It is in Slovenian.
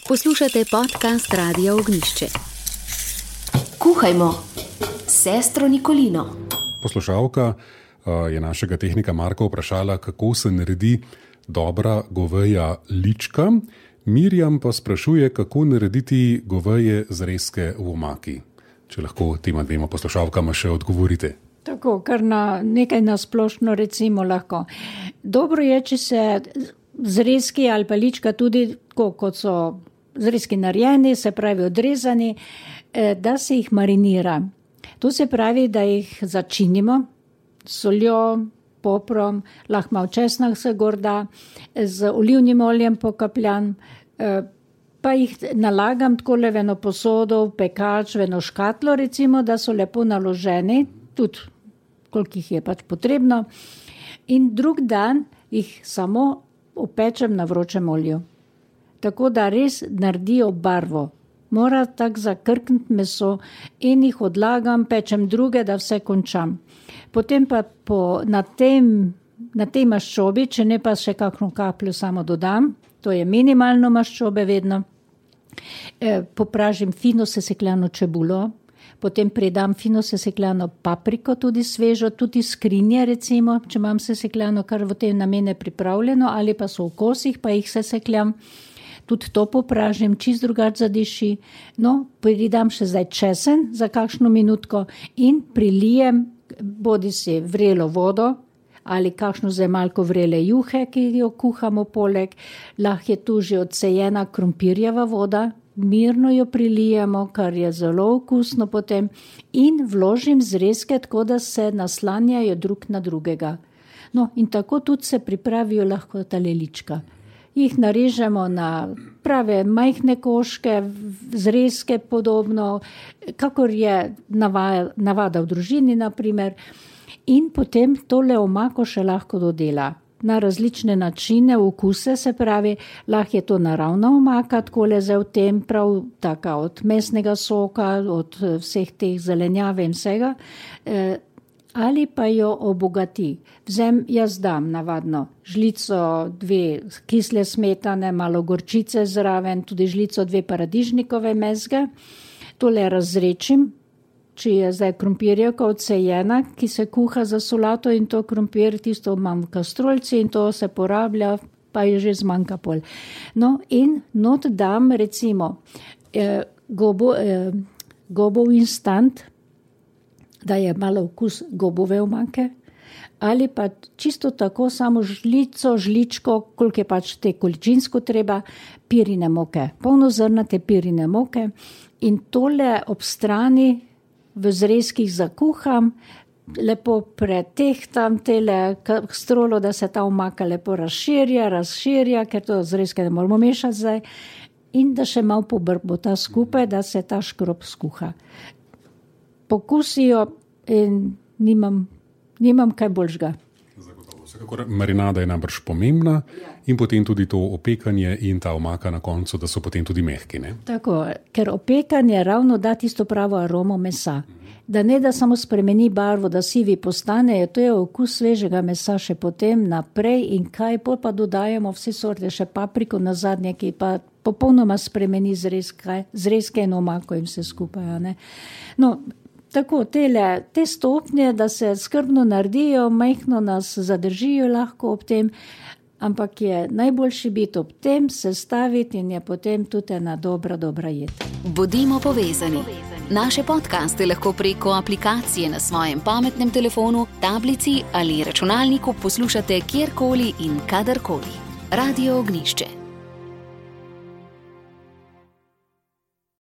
Poslušate podcast Radia Ognjišče. Kuhajmo s sestro Nikolino. Poslušalka je našega tehnika Marka vprašala, kako se naredi dobra goveja lička. Mirjam pa sprašuje, kako narediti goveje zrezke v omaki. Če lahko tema dvema poslušalkama še odgovorite. Tako, kar na nekaj nasplošno recimo lahko. Dobro je, če se zrezki ali pa lička tudi, kot so zrezki narejeni, se pravi odrezani, da se jih marinira. To se pravi, da jih začinimo s soljo, poprom, lahko malo česna se gorda, z olivnim oljem pokapljan, pa jih nalagam takole v eno posodo, v pekač, v eno škatlo recimo, da so lepo naloženi, tudi koliko jih je pač potrebno. In drug dan jih samo opečem na vročem olju. Tako da res naredijo barvo. Mora tako zakrkniti meso in jih odlagam, pečem druge, da vse končam. Potem pa na tej maščobi, če ne pa še kakšno kapljo samo dodam, to je minimalno maščobe vedno, popražim fino sesekljano čebulo, potem predam fino sesekljano papriko, tudi svežo, tudi skrinje recimo, če imam sesekljano, kar v te namene pripravljeno, ali pa so v kosih, pa jih sesekljam. Tudi to popražim, čist drugače zadiši. No, pridam še zdaj česen za kakšno minutko in prilijem bodi si vrelo vodo ali kakšno zdaj malko vrele juhe, ki jo kuhamo poleg. Lahko je tu že odsejena krompirjeva voda, mirno jo prilijemo, kar je zelo okusno potem in vložim zrezke, tako da se naslanjajo drug na drugega. No, in tako tudi se pripravijo lahko tale lička. Jih narežemo na prave majhne koške, zrezke podobno, kakor je navada v družini naprimer. In potem tole omako še lahko dodela na različne načine, okuse, se pravi, lahko je to naravna omaka, takole zdaj v tem, prav taka od mesnega soka, od vseh teh zelenjave in vsega, ali pa jo obogati. Jaz dam navadno žlico 2 kisle smetane, malo gorčice zraven, tudi žlico 2 paradižnikove mezge. Tole razrečim, če je zdaj krompirjevka odsejena, ki se kuha za solato in to krompir, tisto imam v kastrolci in to se porablja, pa je že zmanjka pol. No in not dam recimo gobov instant, da je malo okus gobove omake, ali pa čisto tako samo žličko, koliko je pač te količinsko treba, pirine moke, polnozrnate pirine moke in tole ob strani v zrezkih zakuham, lepo pretehtam tele strolo, da se ta omaka lepo razširja, ker to zrezke ne moramo mešati zdaj, in da še malo pobrbota skupaj, da se ta škrob skuha. Pokusijo in nimam kaj boljšega. Vsekakor marinada je najbrž pomembna in potem tudi to opekanje in ta omaka na koncu, da so potem tudi mehki, ne? Tako, ker opekanje ravno da tisto pravo aromo mesa. Da ne da samo spremeni barvo, da sivi postanejo, to je okus svežega mesa še potem naprej in kaj, pa dodajamo vse sorte, še papriko na zadnje, ki pa popolnoma spremeni zrezke in omako in vse skupaj, ne? No, tako, te stopnje, da se skrbno naredijo, majhno nas zadržijo lahko ob tem, ampak je najboljši biti ob tem, sestaviti in je potem tudi ena dobra jed. Bodimo povezani. Naše podcaste lahko preko aplikacije na svojem pametnem telefonu, tablici ali računalniku poslušate kjerkoli in kadarkoli. Radio Ognjišče.